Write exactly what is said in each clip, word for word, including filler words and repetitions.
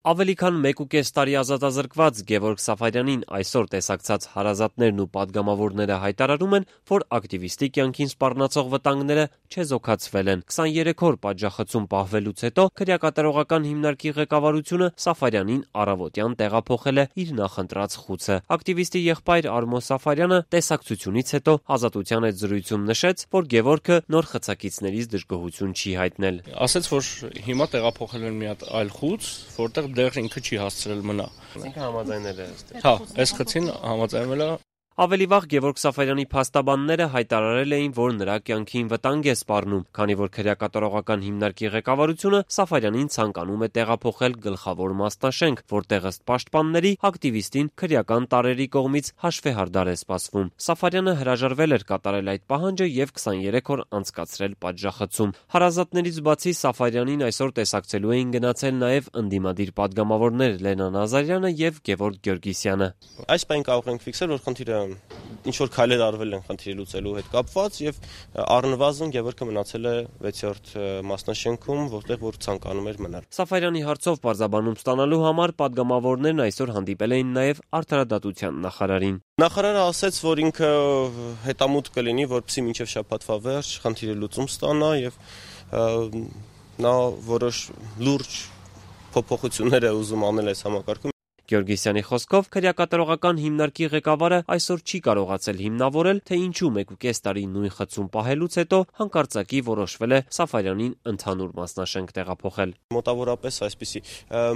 Ավելի քան մեկուկես տարի ազատազրկված Գևորգ Սաֆարյանին այսօր տեսակցած հարազատներն ու պատգամավորները հայտարարում են, որ ակտիվիստի կյանքին սպառնացող վտանգները չեզոքացվել են։ քսաներեք օր պատժախցում պահվելուց հետո քրեակատարողական հիմնարկի ղեկավարությունը Սաֆարյանին առավոտյան տեղափոխել է իր նախընտրած խուցը։ Ակտիվիստի եղբայր Արմո Սաֆարյանը տեսակցությունից հետո Ազատության հետ զրույցում նշեց, որ Գևորգը նոր խցակիցներից դժգոհություն չի հայտնել։ Ասաց, որ հիմա տեղափոխել են մի հատ այլ խուց, որտեղ դեռ ինքը չի հասցրել մնա։ Ինքը համաձայնել է ըստ։ Հա, այս խցին համաձայնվել է։ Ավելի վաղ Գևորգ Սաֆարյանի փաստաբանները հայտարարել էին, որ նրա կյանքին վտանգ է սպառնում, քանի որ քրեակատարողական հիմնարկի ղեկավարությունը Սաֆարյանին ցանկանում է տեղափոխել գլխավոր մասնաշենք, որտեղ ըստ պաշտպանների ակտիվիստին քրեական տարրերի կողմից հաշվեհարդար է սպասվում։ Սաֆարյանը հրաժարվել էր կատարել այդ պահանջը եւ քսաներեք օր անցկացրել պատժախցում։ Հարազատներից բացի Սաֆարյանին այսօր տեսակցելու էին գնացել նաեւ ընդդիմադիր պատգամավորներ Լենա Նազարյանը եւ Գևորգ Գյորգիսյանը։ Այս բան կարող ենք ֆիքսել, որ խնդիրը ինչ որ քայլեր արվել են խնդիրի լուծելու հետ կապված եւ առնվազն Գևորգը մնացել է վեցերորդ մասնաշենքում, որտեղ որ ցանկանում էր մնալ։ Սաֆարյանի հարցով պարզաբանում ստանալու համար պատգամավորներն այսօր հանդիպել էին նաեւ Արդարադատության նախարարին։ Նախարարը ասաց, որ ինքը հետամուտ կլինի, որպեսզի մինչև շաբաթվա վերջ խնդիրի լուծում ստանա եւ նա որոշ լուրջ փոփոխություններ է ուզում անել այս համակարգում։ Գյորգիսյանի խոսքով քրեակատարողական հիմնարկի ղեկավարը այսօր չի կարողացել հիմնավորել, թե ինչու մեկուկես տարի նույն խցում պահելուց հետո հանկարծակի որոշվել է Սաֆարյանին ընդհանուր մասնաշենք տեղափոխել։ Մոտավորապես այսպիսի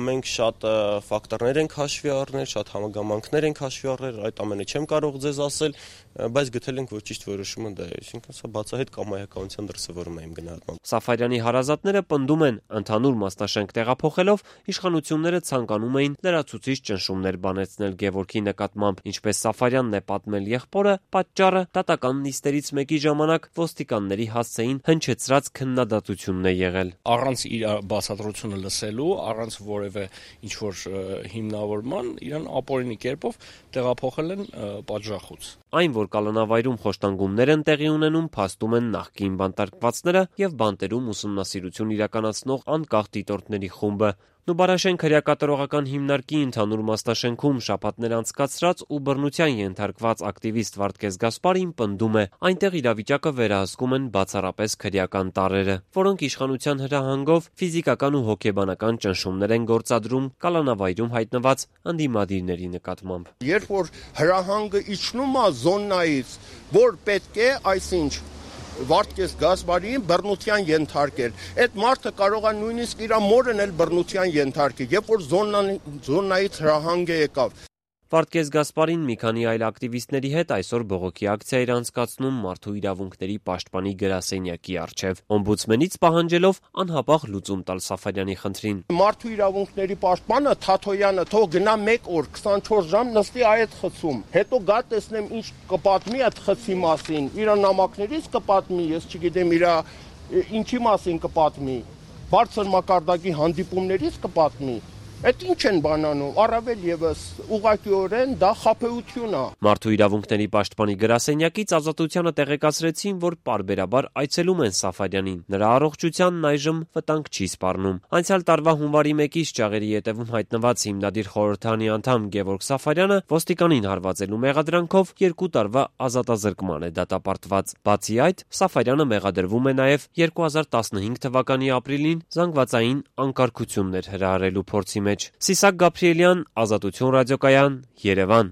մենք շատ ֆակտորներ ենք հաշվի առնել, շատ համագամանքներ ենք հաշվի առնել, այդ ամենը չեմ կարող ձեզ ասել, բայց գտել ենք, որ ճիշտ որոշումը դա է, այսինքն սա բացահայտ կամայականության դրսևորում է իմ գնահատմամբ։ Սաֆարյանի հարազատները պնդում են, ընդհանուր մասնաշենք տեղափոխելով իշխանությունները ցանկանում էին լրացուցիչ ճնշումներ բանեցնել Գևորգի նկատմամբ, ինչպես Սաֆարյանն է պատմել եղբորը, պատճառը դատական նիստերից մեկի ժամանակ ոստիկանների հասցեին հնչեցրած քննադատությունն է եղել։ Առանց իր բացատրությունը լսելու, առանց որևէ ինչ-որ հիմնավորման, իրան ապօրինի կերպով տեղափոխել են պատժախոց։ Այն, որ կալանավայրում խոշտանգումներ են տեղի ունենում, փաստում են նախկին բանտարկվածները եւ բանտերում ուսումնասիրություն իրականացնող անկախ դիտորդների խումբը։ Նուբարաշեն քրեակատարողական հիմնարկի ընդհանուր մասնաշենքում շաբաթներ անցկացրած ու բռնության ենթարկված ակտիվիստ Վարդգես Գասպարին պնդում է, այնտեղ իրավիճակը վերահսկում են բացառապես քրեական տարրերը, որոնք իշխանության հրահանգով ֆիզիկական ու հոգեբանական ճնշումներ են գործադրում կալանավայրում հայտնված ընդդիմադիրների նկատմամբ։ Երբ որ հրահանգը իջնում է զոնայից, որ պետք է, այսինչ Վարդգես Գասպարին բռնության ենթարկել։ Այդ մարդը կարող է նույնիսկ իր մորն էլ բռնության ենթարկի, երբ որ զոնայից հրահանգ է եկավ։ Վարդգես Գասպարին մի քանի այլ ակտիվիստների հետ այսօր բողոքի ակցիա էր անցկացնում Մարդու իրավունքների պաշտպանի գրասենյակի առջև, օմբուդսմենից պահանջելով անհապաղ լուծում տալ Սաֆարյանի խնդրին։ Մարդու իրավունքների պաշտպանը Թաթոյանը թող գնա մեկ օր քսանչորս ժամ նստի այդ խցում, հետո գա տեսնեմ ինչ կպատմի այդ խցի մասին, իր նամակներից կպատմի, ես չգիտեմ իր ինչի մասին կպատմի, բարձր մակարդակի հանդիպումներից կպատմի։ Այդ ինչ են բանանում, առավել եւս ուղղակիորեն դա խաբեություն է։ Մարդու իրավունքների պաշտպանի գրասենյակից Ազատությանը տեղեկացրեցին, որ պարբերաբար այցելում են Սաֆարյանին։ Նրա առողջությանն այժմ վտանգ չի սպառնում։ Անցյալ տարվա հունվարի մեկից ճաղերի ետևում հայտնված հիմնադիր խորհրդանի անդամ Գևորգ Սաֆարյանը ոստիկանին հարվածելու մեղադրանքով երկու տարվա ազատազրկման է դատապարտված։ Բացի այդ, Սաֆարյանը մեղադրվում է նաեւ երկու հազար տասնհինգ թվականի ապրիլին զանգվածային անկարգություններ հրահրելու փորձի մեջ։ Սիսակ Գաբրիելյան, Ազատություն ռադիոկայան, Երևան։